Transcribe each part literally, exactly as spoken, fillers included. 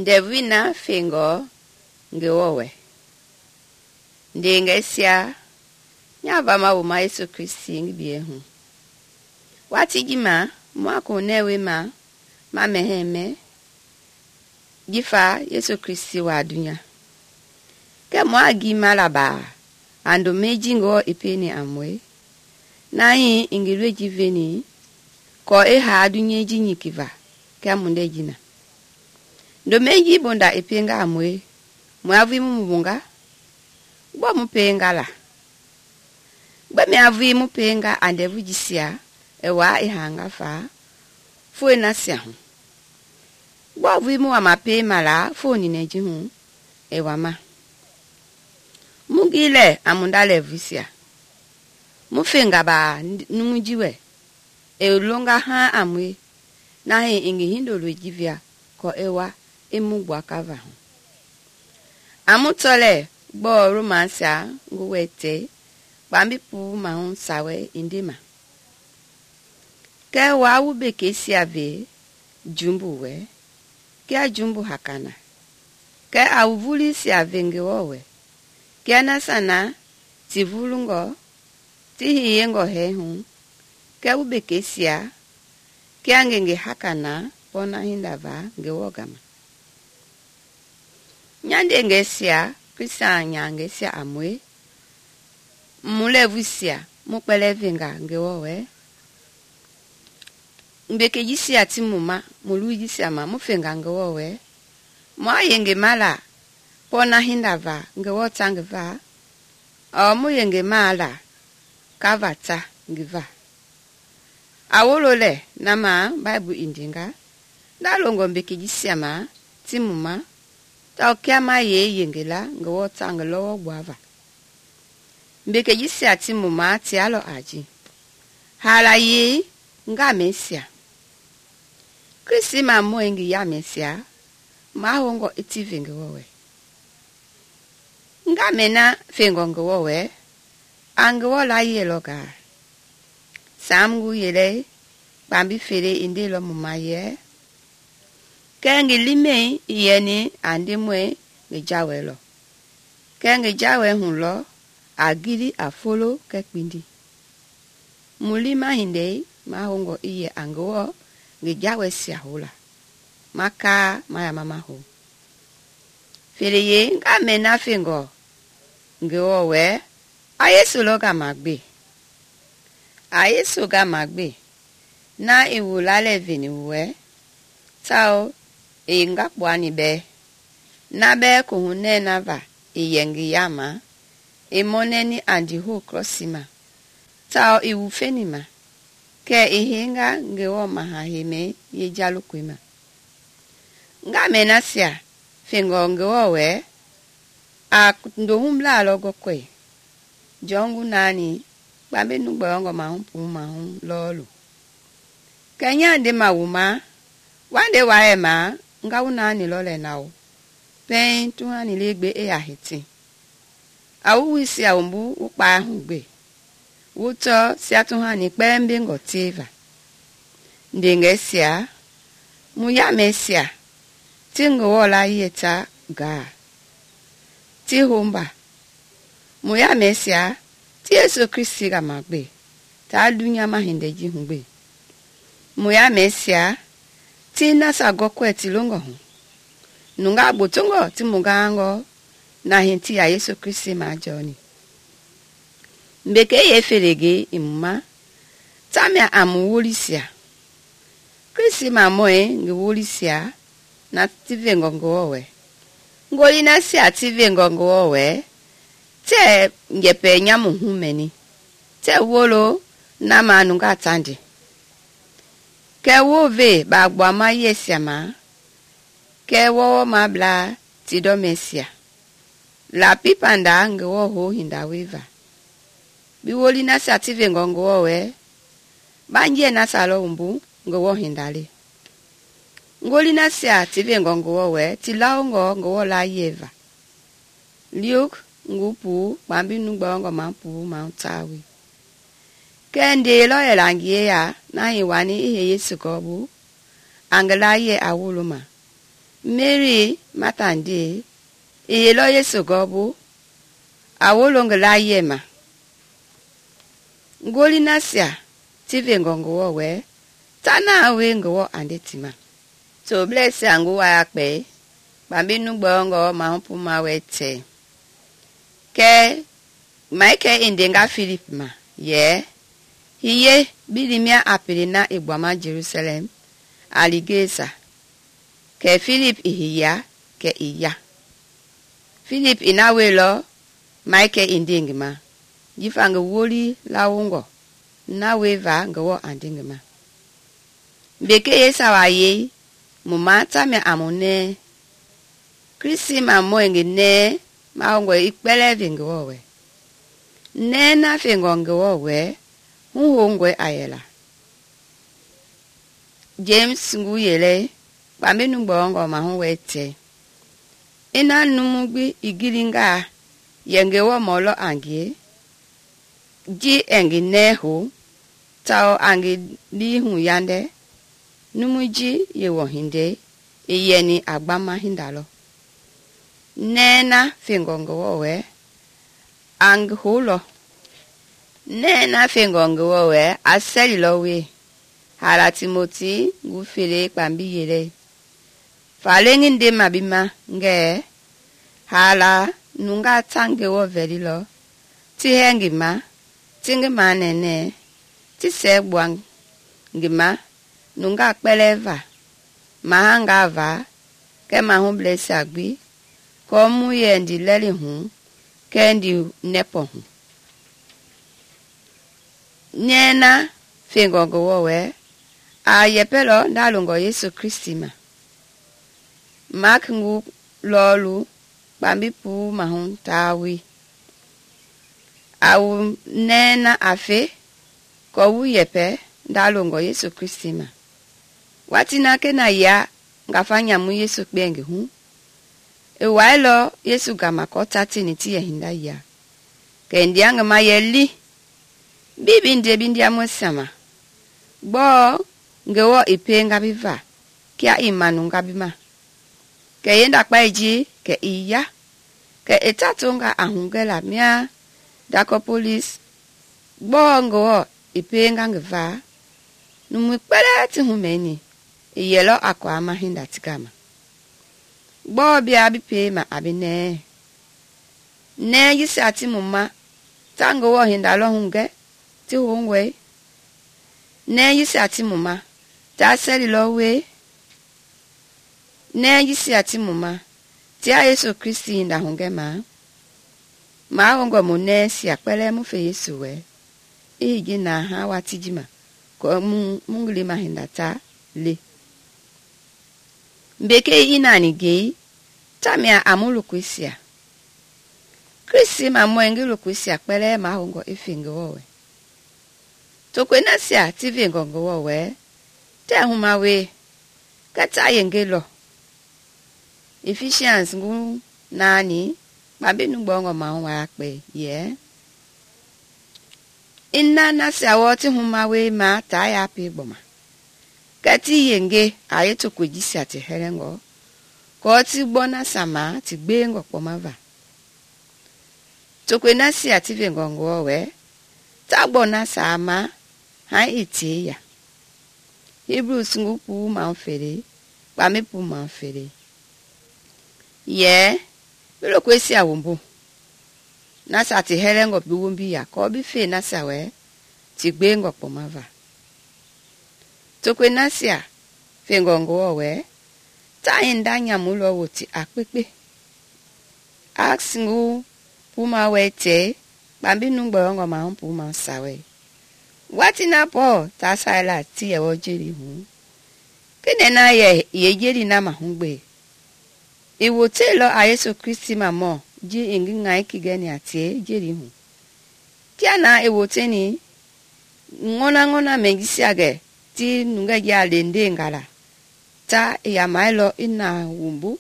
ndevui na fengɔ Ngewɔ wɛ. Ndengesia nyavama wuma Yesu Kristi ngi bie hu. Wati jima mua kunewe ma ma meheme jifa Yesu Kristi wa dunya. Ke mua gi malaba ando meji ngo ipeni amwe. Na hi ingilwe jiveni ko e ha dunye jinyi kiva ke munde jina. Ndo meji bonda ipenga amwe muavi mumunga gbo mupenga la. Gbe me avi mupenga andevu jisia ewa ihanga fa fue na sia hu. Gbo avi mu ama pe mala foni neji hu ewa ma. Mugile amunda levisia. Mufenga ba numujiwe e longa ha amwe na he ingi hindo lwejivia ko ewa emugwa kava hu. Amutole gbo romansa nguwete bambi pu mahun sawe indima. Ke wa ube kesi ave jumbu we ke jumbu hakana. Ke awuvuli si ave Ngewo we ke na sana tivulungo tihiyengo he hu ke ube kesia ke angenge hakana pona hindava Ngewo gama. Nyande ngesia Krista nyangesia amwe mulevusia mukpelevenga Ngewo we mbeke jisia timuma muluijisia ma mufenga Ngewo we mwa yenge mala pona hindava Ngewo tangva o mu yenge mala kavata ngiva awolole nama Bible indinga dalongo mbeke jisia ma timuma ta kiama ye yengela Ngewo tangelo gwava mbeke jisia timuma tialo aji hala ye nga mesia Kristi ma moengi ya mesia ma hongo itive Ngewo we nga mena fengo Ngewo we Angewo la yeloga samgu yele bambi fere indelo mumaye kengi lime yeni andimwe ngejawelo kengi jawe hunlo agili afolo kekpindi mulima hinde mahongo iye Angewo ngejawe siahula maka maya mama ho fereye nga mena fengo Ngewo we ayesu loga magbe ayesu ga magbe na iwulale vini we tao inga kwani be na be kuhune nava iyengi yama imoneni andi ho crossima tao iwufenima ke ihinga Ngewo mahahime yejalukwima nga menasia fengo Ngewo we a ndohumla logo kwe jongu nani bambe nugbongo mahumpu mahum lolu kenya de mawuma wande waema nga unani lole nawo pen tuhani legbe e ahiti awuwisi awumbu ukpa hugbe wuto siatuhani pembe ngotiva ndengesia muya mesia tingo la yeta ga ti humba muya mesia ti Yesu Kristi ga magbe ta dunya mahindeji hugbe muya mesia ti nasa gokwe ti longo hu nunga botongo ti mugango na hinti ya Yesu Kristi ma joni mbeke ye ferege imma tamia amuwolisia Kristi ma moe ngewolisia na tive Ngewo we ngoli na si ative Ngewo we te ngepe nyamu humeni te wolo na manunga tandi ke wove ba gba ma yesia ma ke wo ma bla ti do mesia la pipanda Ngewo ho hinda weva biwoli na si ative Ngewo we banje na salo umbu Ngewo hindale ngoli na si ative Ngewo we ti laongo Ngewo la yeva liuk ngupu bambi nugbongo mampu mautawi kende lo elangie ya na hiwani ihe Yesu gobu angela ye awuluma Mary matandi iyelo Yesu gobu awolo ngi laye ma ngoli nasia tive ngongo we tana we ngo ande tima so bless angu wa pe bambi nu gbongo ma humpu ma wete ke maike indenga Philip ma ye hiye bilimia apelina igbama Jerusalem aligesa ke Philip ihiya ke iya Philip inawelo maike indingima jifanga woli lawungo na weva ngo andingima beke yesa waye mumata me amone Krisi ma moenge ne maongo ikpele vingo we ne na fingo ngo we huhongwe ayela James nguyele bambe nugbongo ma hu wete ina numugbi igilinga yengewo molo angie ji engi nehu tao angi lihu yande numuji yewo hinde iyeni agbama hindalo nena fingongo we ang hulo nena fingongo we aseli lowe hala Timoti ngufele kwambi yele falengi nde mabima nge hala nunga tange wo velilo ti hengima tingima nene ti sebwang ngima nunga kpeleva mahanga va ke mahu bless agbi ko mu yendi leli hu kendi nepo hu nena fingongo we a yepelo ndalungo Yesu Kristi ma Mark ngu lolu bambi pu mahun tawi awu nena afe ko wu yepe ndalungo Yesu Kristi ma watina kena ya ngafanya mu Yesu kbengi hu e wailo Yesu gama ko tatini ti hinda ya kendi anga mayeli bibi nde bindia mosama bo ngewo ipenga biva kia imanu ngabima ke yenda kpaiji ke iya ke etatunga ahungela mia dako police bongo ipenga ngva numu kpele ti humeni iyelo akwa ma hinda tikama bo bia bipe ma abine ne yisati mumma tango wo hinda lo hunge ti hungwe ne yisati mumma ta seli lo we ne yisi ati muma ti a Yesu Kristi nda hungema ma hongo mu ne si akpele mu fe Yesu we igi na ha watijima ko mu mungli ma hindata le mbeke inani ge tamia amulu kwisia Kristi ma mwengi lu kwisia akpele ma hongo ifingo we to kwena sia ti vingongo we te huma we kata yengelo Ephesians ngu nani babe nugbongo ma wa pe ye inna na sawoti huma we ma ta ya pe gboma kati yenge ayeto kwejisi ati herengo ko ti gbona sama ti gbengo pomava to kwena si ati vengongo we ta gbona sama ha iti ya Hebrews ngu pu ma fere ba me pu ma fere ye bilo kwesi awumbu nasa ti herengo biwumbi ya ko bi fe nasa we ti gbengo pomava to kwe nasia fengongo we ta indanya mulo woti akpepe aksingu puma wete bambi nungbongo ma humpu ma sawe wati na po ta sala ti e wojeri hu kene na ye yejeri na ma hungbe iwo telo a Yesu Kristi mamo ji ingi ngai kigeni atie jeri hu kia na iwo teni ngona ngona mengisi age ti nunga ya lende ngala ta ya mailo ina wumbu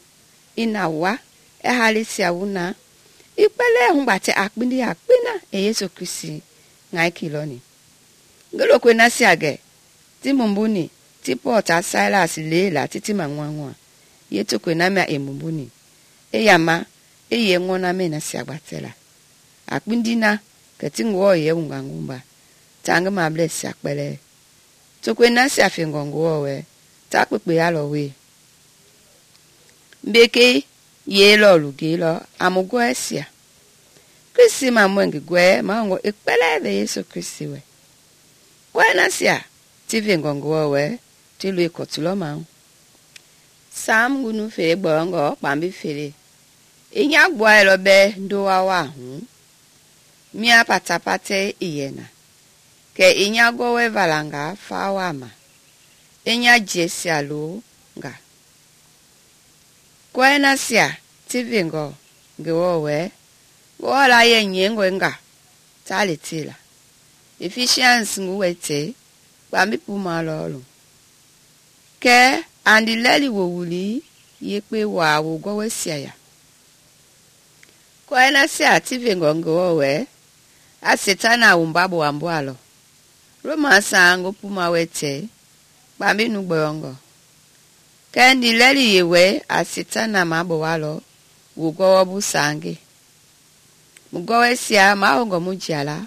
ina wa e halisia wuna ipele humbate akpindi akpina e Yesu Kristi ngai kiloni ngelo kwena siage ti mumbuni ti Pota Silas lela titi mangwangwa ye tokwe na mia emumbuni e yama e ye ngona me na sia gbatela akpindina keti ngo ye ungangumba tanga ma bless akpele tokwe na sia fingongo we ta kpekpe ya lo we mbeke ye lo luge lo amugo esia Kristi ma mwengi gwe ma ngo ekpele be Yesu Kristi we kwa na sia ti fingongo we ti lu ikotulo ma Sam gunu fere gbongo pambi fere inya gboa lo be ndo wa wa hu mia patapate iyena ke inya go we valanga fa wa ma inya jesia lo nga kwa na sia ti fingo ngewo we go la ye nyengo nga tali tila Ephesians nguwete pambi puma lo ke andi leli wo wuli yekpe wa wo go we sia ya kwa na sia ti fingo ngo we a setana umbabo ambwalo Roma sango puma wete pambi nu gbongo ke andi leli yewe a setana mabo walo wo go bu sange mugo we sia ma ngo mujala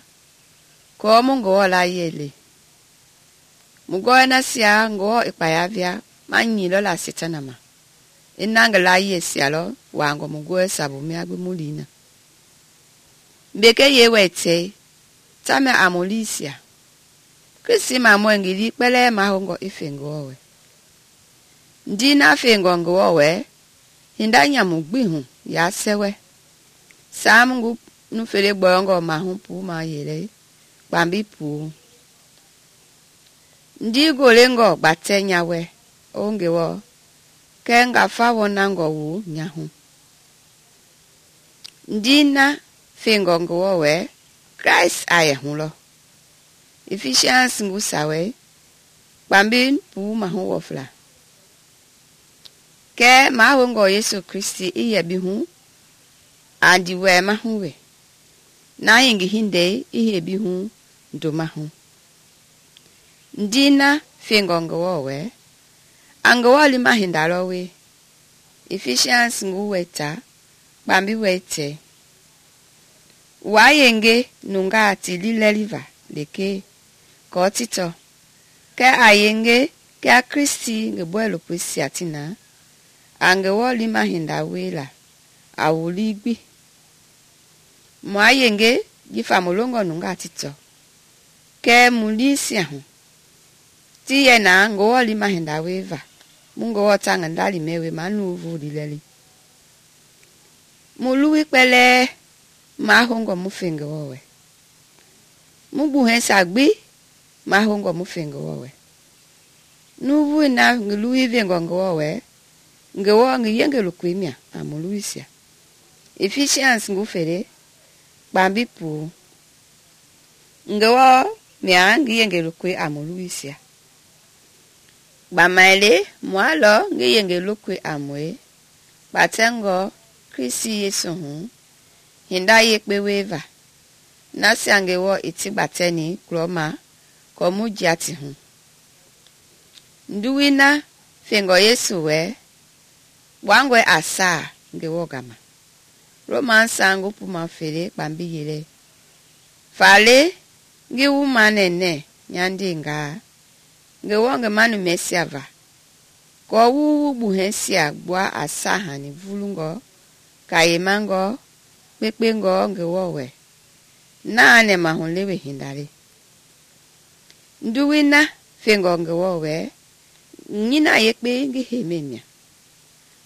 ko mungo la yele mugo na sia ngo ipayavia manyilo la setana ma inanga la yesialo wango mugo sabu mi agbe mulina mbeke yewete tame amolisia Kristi ma mwengili pele ma hongo ifengo we ndina fengo ngo we hindanya mugbihu ya sewe samungu nufele gbongo ma humpu ma yele pambi pu ndi golengo batenya we ongewo kenga fawo nango wu nyahu ndina fingo ngo we Christ aye hulo Ephesians ngusawe pambi pu ma hu wofla ke ma hongo Yesu Kristi iye bi hu andi we ma hu we na yingi hinde ihe bi hu ndo ma hu ndina fingo ngo we angawali mahindalo we Ephesians nguweta bambi wete wayenge nungati lileliva leke kotito ke ayenge ke a Kristi ngebwelo pwesi atina angawali mahindawe la awuligbi mwayenge gifa mulongo nungati to ke mulisia hu tiye na ngowali mahindawe va mungo wotanga ndali mewe manuvu dileli muluwi pele mahongo mufenge wowe mubuhe sagbi mahongo mufenge wowe nuvu na nguluwi vengo ngowe ngewo ngiyenge lukwimia amuluisia Ephesians ngufere bambi pu ngewo mia ngiyenge lukwi amuluisia Bamaile mwalo ngiyenge lukwe amwe batengo Kristi Yesu hu hinda yekpe weva nasi angewo iti bateni kloma komu jati hu nduwina fingo Yesu we wangwe asa ngewo gama Roman sango puma fere bambi yele fale ngewu manene nyandinga ngewonge manu mesiava ko wu buhensia gwa asahani vulungo kayemango pepengo ngewowe nane mahonlewe hindale nduwina fengo ngewowe nyina yekpe ngehememia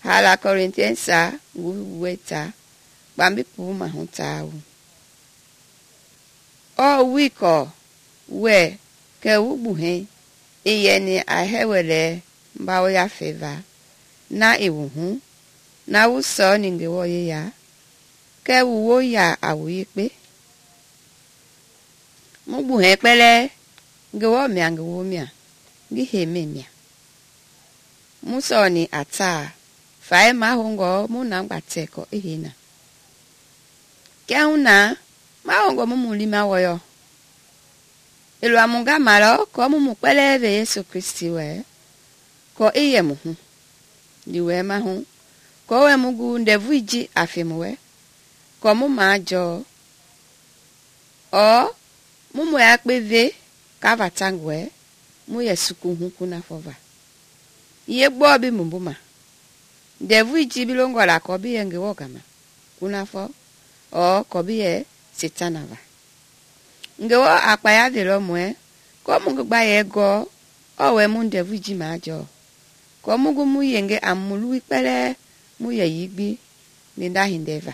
hala Corinthiansa nguweta bambi puma huntawu o wiko we ke wubuhe iyeni ahewele mbawo ya feva na iwuhu na wuso ningewo ya ke wuwo ya awuyekpe mubuhe pele ngewo mia ngewo mia ngihememia musoni ata fae mahongo muna ngbateko ihina keuna mahongo mumulima woyo Elu amunga malo ko mumu peleve Yesu Kristi we ko iye muhu ndi wɛ ma hu ko wɛ mu gu ndɛvui ji afi mu wɛ ko mu ma jɔ o mu mu ya kpe ve ka va tang wɛ mu yɛ suku hu kuna fɔva ye gbɔ bi mu bu ma ndɛvui ji bi longɔ la ko bi yɛ Ngewɔ gama kuna fɔ o ko bi yɛ Setana va Ngewɔ akpaya ve lɔ mu ɛ ko mu gba yɛ gɔ o wɛ mu ndɛvui ji ma jɔ ko mu gu mu yenge a mu lui kpɛlɛ mu yɛ yigbi linda hindeva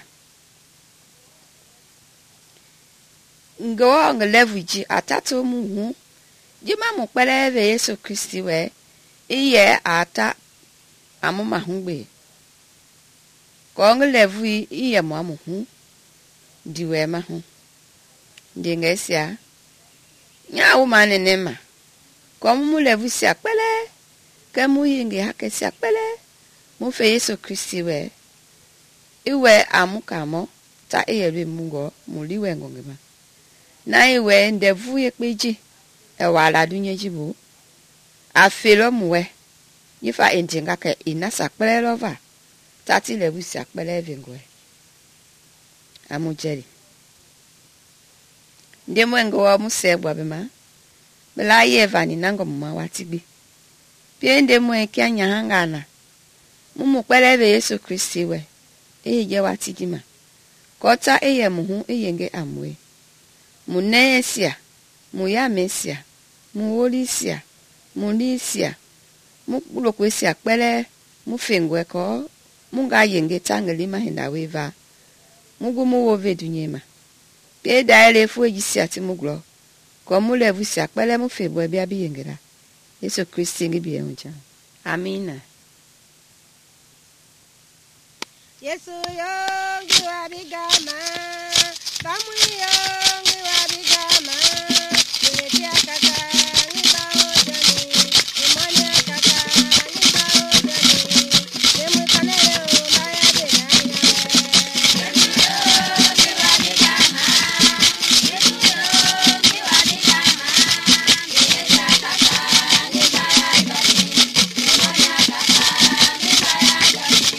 Ngewɔ nge lɛvui ji atato mu hu ji ma mu kpɛlɛ ve Yesu Kristi wɛ i yɛ ata amu ma hu gbe ko nge lɛvui i yɛ mu amu hu di wɛ ma hu ndi nge sia nya wu ma nene ma ko mu mu lɛvui sia kpɛlɛ ke mu yenge hake sia kpɛlɛ mu fe Yesu Kristi wɛ i wɛ amu kamɔ ta i yɛ lue mu ngɔ mu li wɛ ngɔ nge ma na i wɛ ndɛvui ye kpe ji e wa la dunye ji bu a fe lɔ mu wɛ yifa endinga ke ina sa kpɛlɛ lɔ va ta ti lɛvui sia kpɛlɛ ve ngɔ amu jeli ndi mu Ngewɔ mu sɛ gbɔ be ma bela ye va ni na ngɔ mu ma wati gbi pie ndi mu kia nya hanga na mu mu kpɛlɛ ve Yesu Kristi wɛ e je wati ji ma ko ta e ye mu hu e yenge amwe mu ne sia mu ya mesia mu woli sia mu li sia mu lo ko sia kpɛlɛ mu fengwe ko mu ga yenge tangeli ma hinda we va mu gu mu wo ve dunye ma pe da ele fu ji sia ti mu glo ko mu le vu sia kpɛlɛ mu fe bo bia bi yenge la Yesu Kristi ngi bi enja amina Yesu yo ngi wa bigama bamu yo ngi wa bigama ni tia kaka ni ba o jani ni manya kaka ni ba o jani ni mu kanele o ba ya de na nya Yesu yo ngi wa bigama Yesu yo ngi wa bigama ni tia kaka ni ba ya jani ni manya kaka ni ba ya jani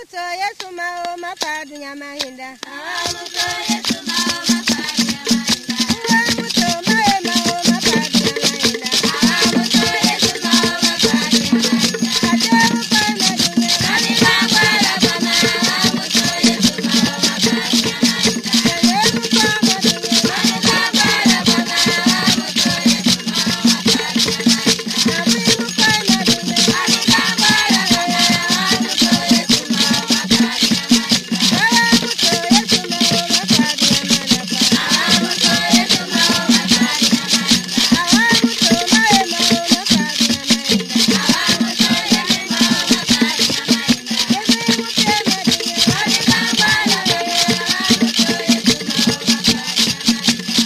muto Yesu mao mapadu nyama hinda. Awa muto Yesu mao mapadu nyama hinda. Uwe muto mae mao mapadu nyama hinda. Awa muto Yesu mao mapadu nyama hinda. Ate ukona dunya. Nani bangwala bana. Awa muto Yesu mao mapadu nyama hinda. Ate ukona dunya. Nani bangwala bana. Awa muto Yesu mao mapadu nyama hinda. Nabi ukona dunya. Nani bangwala bana. Awa muto Yesu mao mapadu nyama hinda. Awa muto Yesu mao mapadu nyama hinda. Awa muto Yesu mao mapadu nyama hinda. Awa muto mae mao mapadu nyama hinda. Awa muto Yesu mao mapadu nyama hinda. Yesu ukona dunya. Nani bangwala bana. Awa muto Yesu mao mapadu nyama hinda.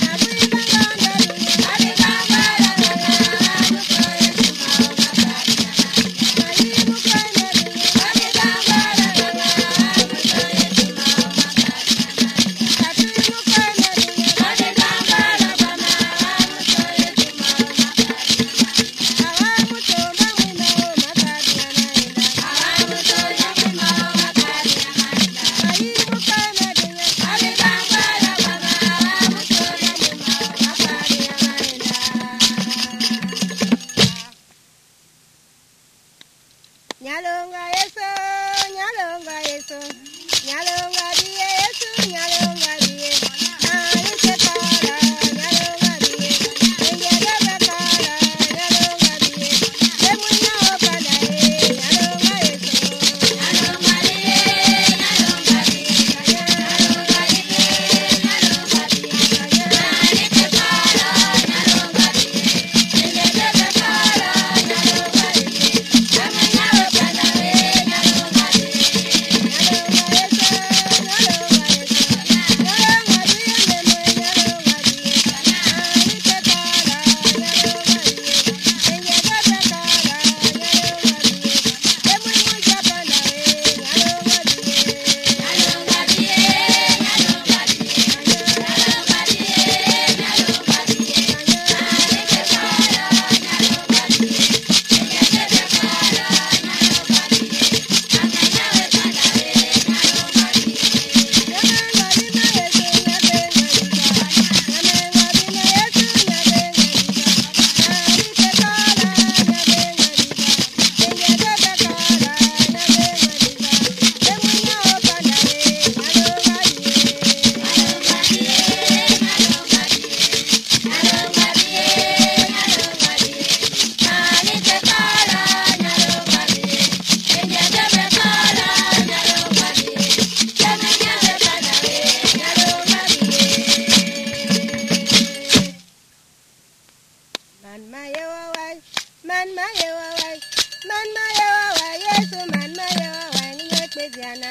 Nabi ukona dunya. Nani bangwala bana. Awa muto Yesu mao mapadu nyama hinda. Nabi ukona dunya. Nani bangwala bana. Awa muto Yesu mao mapadu nyama hinda. Ate ukona dunya. Nani bangwala bana. Awa muto Yesu mao mapadu nyama hinda. Awa muto mamwe mao mapadu nyama hinda. Awa muto Yesu mao mapadu nyama hinda. Nabi ukona dunya. Nani bangwala bana. Awa muto Yesu mao mapadu nyama hinda. Nyalonga Yesu, nyalonga Yesu, nyalonga diye Yesu, nyalonga diye. Nani sekala, nyalonga diye. Engele bekala, nyalonga diye. Emunya opanda e, nyalonga Yesu. Nyalonga diye, nyalonga diye, nyalonga diye, nyalonga diye. Nani sekala, nyalonga diye. Engele bekala, nyalonga diye. Emunya opanda e, nyalonga diye. Nyalonga diye, nyalonga diye, nyalonga diye, nyalonga diye. Nani sekala, nyalonga diye. Engele bekala, nyalonga diye. Emunya opanda e, nyalonga diye. Nyalonga diye, nyalonga diye, nyalonga diye, nyalonga diye. Nani sekala, nyalonga diye. Engele bekala, nyalonga diye. Emunya opanda e, nyalonga diye. Man ma yewa wai, man ma yewa wai, man ma yewa wai, Yesu man ma yewa wai, ni nyekpe ziana.